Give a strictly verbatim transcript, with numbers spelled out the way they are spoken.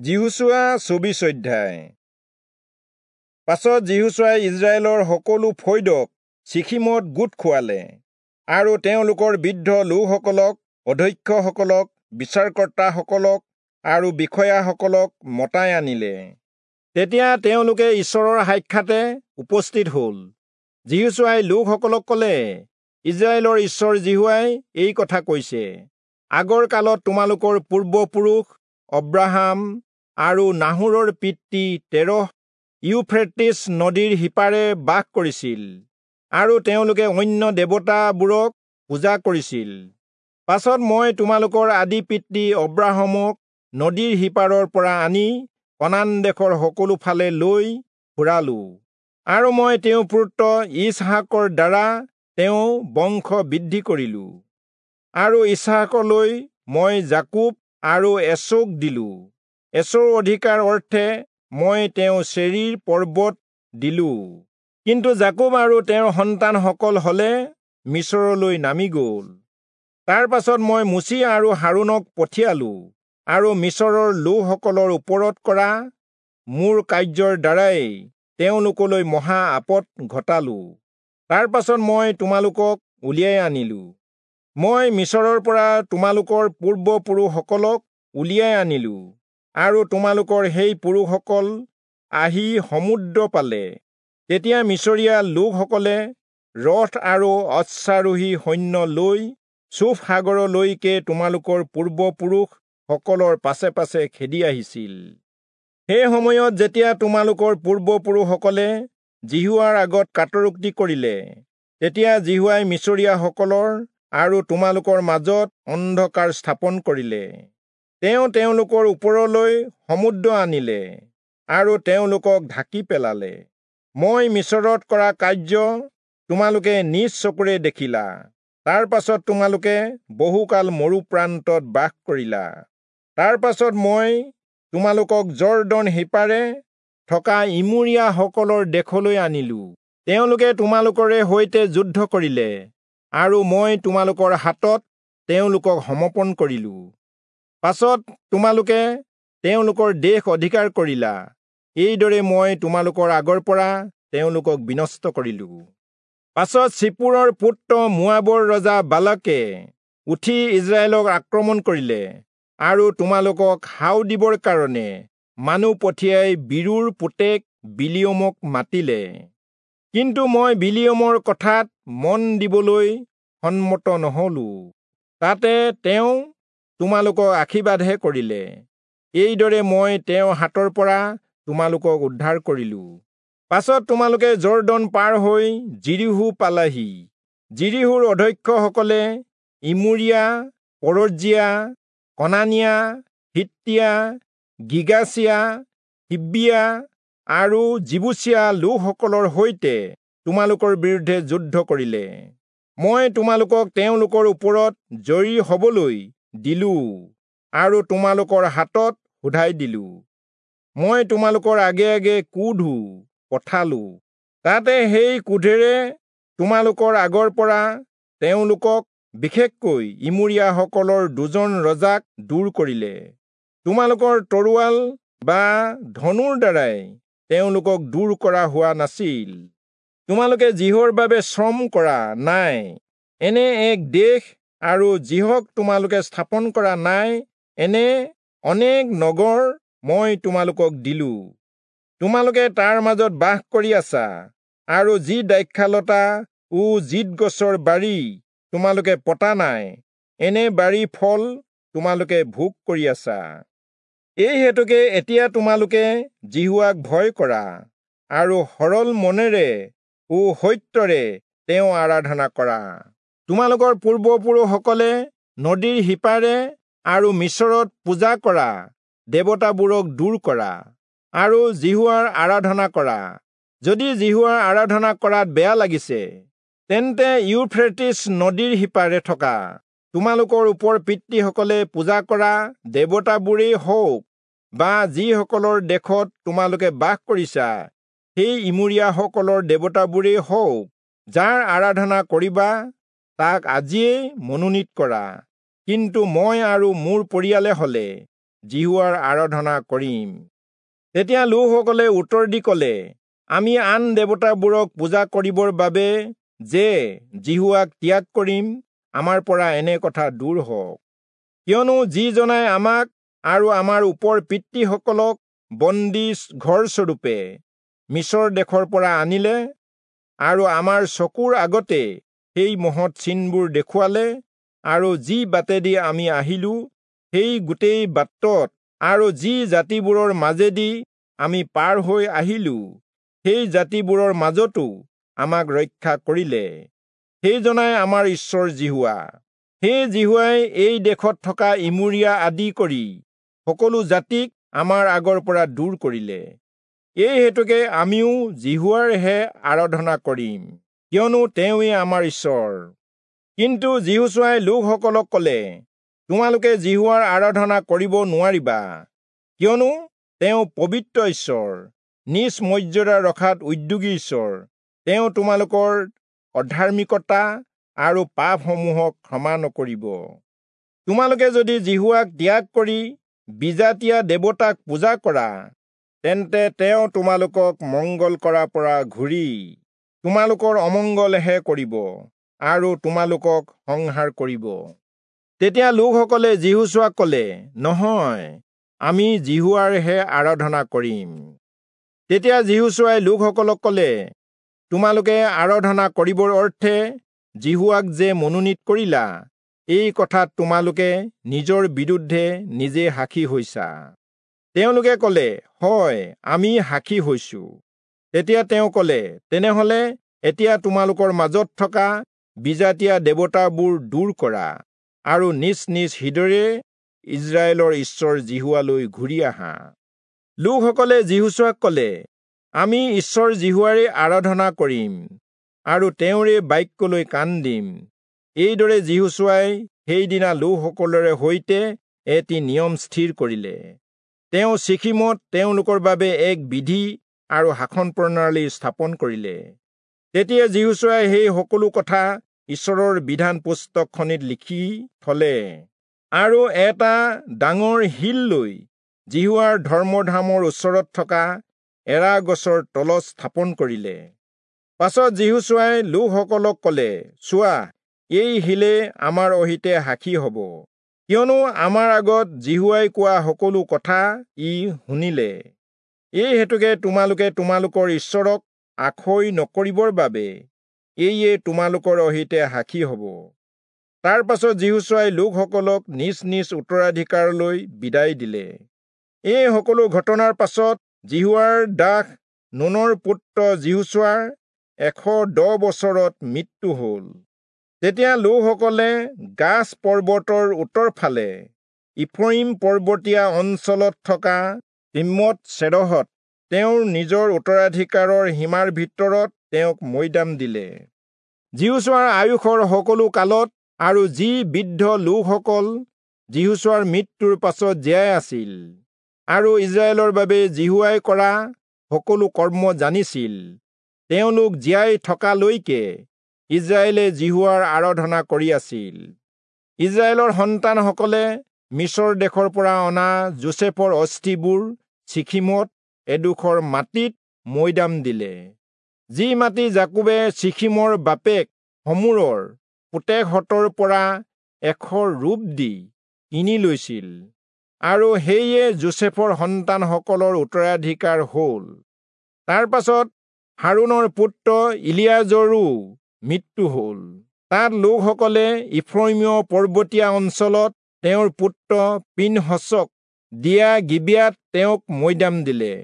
যিহোচূৱা চৌবিশ অধ্যায়। পাছত যিহোচূৱাই ইস্ৰায়েলৰ সকলো ফৈদক চিখিমত গোট খুৱালে আৰু তেওঁলোকৰ বৃদ্ধ লোকসকলক, অধ্যক্ষসকলক, বিচাৰকৰ্তাসকলক আৰু বিষয়াসকলক মতাই আনিলে। তেতিয়া তেওঁলোকে ঈশ্বৰৰ সাক্ষাতে উপস্থিত হ'ল। যিহোচূৱাই লোকসকলক ক'লে, ইস্ৰায়েলৰ ঈশ্বৰ যিহোৱাই এই কথা কৈছে, আগৰ কালত তোমালোকৰ পূৰ্বপুৰুষ অব্ৰাহাম আৰু নাহোৰৰ পিতৃ তেৰহ ইউফ্ৰেটিছ নদীৰ সিপাৰে বাস কৰিছিল আৰু তেওঁলোকে অন্য দেৱতাবোৰক পূজা কৰিছিল। পাছত মই তোমালোকৰ আদি পিতৃ অব্ৰাহামক নদীৰ সিপাৰৰ পৰা আনি কনান দেশৰ সকলো ফালে লৈ ফুৰালো আৰু মই তেওঁৰ পুত্ৰ ইচহাকৰ দ্বাৰা তেওঁ বংশ বৃদ্ধি কৰিলো আৰু ইচহাকলৈ মই যাকোব আৰু এচৌক দিলো। এচৌৰ অধিকাৰ অৰ্থে মই তেওঁ চেৰীৰ পৰ্বত দিলো। কিন্তু যাকোব আৰু তেওঁৰ সন্তানসকল হলে মিচৰলৈ নামি গ'ল। তাৰ পাছত মই মোচি আৰু হাৰোণক পঠিয়ালো আৰু মিচৰৰ লোকসকলৰ ওপৰত কৰা মোৰ কাৰ্যৰ দ্বাৰাই তেওঁলোকলৈ মহা আপদ ঘটালো। তাৰ পাছত মই তোমালোকক উলিয়াই আনিলো। মই মিচৰৰ পৰা তোমালোকৰ পূৰ্বপুৰুষসকলক উলিয়াই আনিলো আৰু তোমালোকৰ সেই পুৰুষসকল আহি সমুদ্ৰ পালে। তেতিয়া মিচৰীয়া লোকসকলে ৰথ আৰু অশ্বাৰোহী সৈন্য লৈ চূফ সাগৰলৈকে তোমালোকৰ পূৰ্বপুৰুষসকলৰ পাছে পাছে খেদি আহিছিল। সেই সময়ত যেতিয়া তোমালোকৰ পূৰ্বপুৰুষসকলে যিহোৱাৰ আগত কাতৰোক্তি কৰিলে, তেতিয়া যিহোৱাই মিচৰীয়াসকলৰ আৰু তোমালোকৰ মাজত অন্ধকাৰ স্থাপন কৰিলে। তেওঁ তেওঁলোকৰ ওপৰলৈ সমুদ্ৰ আনিলে আৰু তেওঁলোকক ঢাকি পেলালে। মই মিচৰত কৰা কাৰ্য তোমালোকে নিজ চকুৰে দেখিলা। তাৰ পাছত তোমালোকে বহুকাল মৰুপ্ৰান্তত বাস কৰিলা। তাৰ পাছত মই তোমালোকক যৰ্দন সিপাৰে থকা ইমূৰীয়াসকলৰ দেশলৈ আনিলো। তেওঁলোকে তোমালোকৰে সৈতে যুদ্ধ কৰিলে আৰু মই তোমালোকৰ হাতত তেওঁলোকক সমৰ্পণ কৰিলো। পাছত তোমালোকে তেওঁলোকৰ দেশ অধিকাৰ কৰিলা। এইদৰে মই তোমালোকৰ আগৰ পৰা তেওঁলোকক বিনষ্ট কৰিলো। পাছত চিপোৰৰ পুত্ৰ মোৱাবৰ ৰজা বালাকে উঠি ইস্ৰায়েলক আক্ৰমণ কৰিলে আৰু তোমালোকক হাও দিবৰ কাৰণে মানুহ পঠিয়াই বীৰুৰ পুতেক বিলিয়মক মাতিলে। কিন্তু মই বিলিয়মৰ কথাত মন দিবলৈ সন্মত নহলো। তাতে তেওঁ তোমালোকক আশীৰ্বাদহে কৰিলে। এইদৰে মই তেওঁৰ হাতৰ পৰা তোমালোকক উদ্ধাৰ কৰিলো। পাছত তোমালোকে যৰ্দন পাৰ হৈ যিৰীহো পালাহি। যিৰীহোৰ অধ্যক্ষসকলে ইমূৰীয়া, পৰজ্জীয়া, কনানীয়া, হিত্তীয়া, গিৰ্গাচীয়া, হিব্বীয়া আৰু যিবূচীয়া লোকসকলৰ সৈতে তোমালোকৰ বিৰুদ্ধে যুদ্ধ কৰিলে। মই তোমালোকক তেওঁলোকৰ ওপৰত জয়ী হবলৈ দিলো আৰু তোমালোকৰ হাতত শোধাই দিলো। মই তোমালোকৰ আগে আগে ক্ৰোধো পঠালো। তাতে সেই ক্ৰোধেৰে তোমালোকৰ আগৰ পৰা তেওঁলোকক, বিশেষকৈ ইমূৰীয়াসকলৰ দুজন ৰজাক দূৰ কৰিলে। তোমালোকৰ তৰোৱাল বা ধনুৰ দ্বাৰাই তেওঁলোকক দূৰ কৰা হোৱা নাছিল। তোমালোকে যিহৰ বাবে শ্ৰম কৰা নাই এনে এক দেশ আৰু যিহক তোমালোকে স্থাপন কৰা নাই এনে অনেক নগৰ মই তোমালোকক দিলো। তোমালোকে তাৰ মাজত বাস কৰি আছা আৰু যি দ্ৰাক্ষালতা ও জিত গছৰ বাৰী তোমালোকে পতা নাই এনে বাৰী ফল তোমালোকে ভোগ কৰি আছা। এই হেতুকে এতিয়া তোমালোকে যিহোৱাক ভয় কৰা আৰু সৰল মনেৰে ও সত্যৰে তেওঁ আৰাধনা কৰা। তোমালোকৰ পূৰ্বপুৰুষসকলে নদীৰ সিপাৰে আৰু মিচৰত পূজা কৰা দেৱতাবোৰক দূৰ কৰা আৰু যিহোৱাৰ আৰাধনা কৰা। যদি যিহোৱাৰ আৰাধনা কৰাত বেয়া লাগিছে, তেন্তে ইউফ্ৰেটিছ নদীৰ সিপাৰে থকা তোমালোকৰ ওপৰ পিতৃসকলে পূজা কৰা দেৱতাবোৰেই হওক বা যিসকলৰ দেশত তোমালোকে বাস কৰিছা সেই ইমূৰীয়াসকলৰ দেৱতাবোৰেই হওক, যাৰ আৰাধনা কৰিবা তাক আজিয়েই মনোনীত কৰা। কিন্তু মই আৰু মোৰ পৰিয়ালে হলে যিহোৱাৰ আৰাধনা কৰিম। তেতিয়া লোকসকলে উত্তৰ দি ক'লে, আমি আন দেৱতাবোৰক পূজা কৰিবৰ বাবে যে যিহোৱাক ত্যাগ কৰিম, আমাৰ পৰা এনে কথা দূৰ হওক। কিয়নো যিজনাই আমাক আৰু আমাৰ ওপৰ পিতৃসকলক বন্দী ঘৰস্বৰূপে মিচৰ দেশৰ পৰা আনিলে আৰু আমাৰ চকুৰ আগতে সেই মহৎ চিনবোৰ দেখুৱালে, আৰু যি বাটেদি আমি আহিলো সেই গোটেই বাটত আৰু যি জাতিবোৰৰ মাজেদি আমি পাৰ হৈ আহিলো সেই জাতিবোৰৰ মাজতো আমাক ৰক্ষা কৰিলে, সেইজনাই আমাৰ ঈশ্বৰ যিহোৱা। সেই যিহোৱাই এই দেশত থকা ইমূৰীয়া আদি কৰি সকলো জাতিক আমাৰ আগৰ পৰা দূৰ কৰিলে। এই হেতুকে আমিও যিহোৱাৰহে আৰাধনা কৰিম, কিয়নো তেওঁৱেই আমাৰ ঈশ্বৰ। কিন্তু যিহোচূৱাই লোকসকলক ক'লে, তোমালোকে যিহোৱাৰ আৰাধনা কৰিব নোৱাৰিবা, কিয়নো তেওঁ পবিত্ৰ ঈশ্বৰ, নিজ মৰ্যাদা ৰখাত উদ্যোগী ঈশ্বৰ। তেওঁ তোমালোকৰ অধাৰ্মিকতা আৰু পাপসমূহক ক্ষমা নকৰিব। তোমালোকে যদি যিহোৱাক ত্যাগ কৰি বিজাতীয়া দেৱতাক পূজা কৰা, তেন্তে তেওঁ তোমালোকক মংগল কৰাৰ পৰা ঘূৰি তোমালোকৰ অমংগলহে কৰিব আৰু তোমালোকক সংহাৰ কৰিব। তেতিয়া লোকসকলে যিহোচূৱাক ক'লে, নহয়, আমি যিহোৱাৰহে আৰাধনা কৰিম। তেতিয়া যিহোচূৱাই লোকসকলক ক'লে, তোমালোকে আৰাধনা কৰিবৰ অৰ্থে যিহোৱাক যে মনোনীত কৰিলা, এই কথাত তোমালোকে নিজৰ বিৰুদ্ধে নিজে সাক্ষী হৈছা। তেওঁলোকে ক'লে, হয়, আমি সাক্ষী হৈছো। তেতিয়া তেওঁ ক'লে, তেনেহলে এতিয়া তোমালোকৰ মাজত থকা বিজাতীয়া দেৱতাবোৰ দূৰ কৰা আৰু নিজ নিজ হৃদয়েৰে ইস্ৰায়েলৰ ঈশ্বৰ যিহোৱালৈ ঘূৰি আহা। লোকসকলে যিহোচূৱাক ক'লে, আমি ঈশ্বৰ যিহোৱাৰে আৰাধনা কৰিম আৰু তেওঁৰে বাক্যলৈ কাণ দিম। এইদৰে যিহোচূৱাই সেইদিনা লোকসকলৰে সৈতে এটি নিয়ম স্থিৰ কৰিলে। তেওঁ চিখিমত তেওঁলোকৰ বাবে এক বিধি আৰু শাসন প্ৰণালী স্থাপন কৰিলে। তেতিয়া যিহোচূৱাই সেই সকলো কথা ঈশ্বৰৰ বিধান পুস্তকখনিত লিখি থলে আৰু এটা ডাঙৰ শিল লৈ যিহোৱাৰ ধৰ্মধামৰ ওচৰত থকা এৰা গছৰ তলত স্থাপন কৰিলে। পাছত যিহোচূৱাই লোকসকলক ক'লে, চোৱা, এই শিলে আমাৰ অহিতে সাক্ষী হ'ব, কিয়নো আমাৰ আগত যিহোৱাই কোৱা সকলো কথা ই শুনিলে। এই হেতুকে তোমালোকে তোমালোকৰ ঈশ্বৰক আসৈ নকৰিবৰ বাবে এইয়ে তোমালোকৰ অহিতে সাক্ষী হ'ব। তাৰ পাছত যিহোচূৱাই লোকসকলক নিজ নিজ উত্তৰাধিকাৰলৈ বিদায় দিলে। এই সকলো ঘটনাৰ পাছত যিহোৱাৰ দাস নুনৰ পুত্ৰ যিহোচূৱাৰ এশ দহ বছৰত মৃত্যু হ'ল। তেতিয়া লোকসকলে গাছ পৰ্বতৰ উত্তৰ ফালে ইফ্ৰয়িম পৰ্বতীয়া অঞ্চলত থকা তিম্মত চেৰহত তেওঁৰ নিজৰ উত্তৰাধিকাৰৰ সীমাৰ ভিতৰত তেওঁক মৈদাম দিলে। যিহোচূৱাৰ আয়ুসৰ সকলো কালত আৰু যি বৃদ্ধ লোকসকল যিহোচূৱাৰ মৃত্যুৰ পাছত জীয়াই আছিল আৰু ইস্ৰায়েলৰ বাবে যিহোৱাই কৰা সকলো কৰ্ম জানিছিল, তেওঁলোক জীয়াই থকালৈকে ইস্ৰায়েলে যিহোৱাৰ আৰাধনা কৰি আছিল। ইস্ৰায়েলৰ সন্তানসকলে মিচৰ দেশৰ পৰা অনা যোচেফৰ অস্থিবোৰ চিখিমত এডোখৰ মাটিত মৈদাম দিলে, যি মাটি যাকোবে চিখিমৰ বাপেক হমোৰৰ পুতেকহঁতৰ পৰা এশ ৰূপ দি কিনি লৈছিল, আৰু সেয়ে যোচেফৰ সন্তানসকলৰ উত্তৰাধিকাৰ হ'ল। তাৰ পাছত হাৰোণৰ পুত্ৰ ইলিয়াজৰো মৃত্যু হ'ল। তাত লোকসকলে ইফ্ৰয়িমীয় পৰ্বতীয়া অঞ্চলত তেওঁৰ পুত্ৰ পিনহচক দিয়া গিবিয়াত তেওঁক মৈদাম দিলে।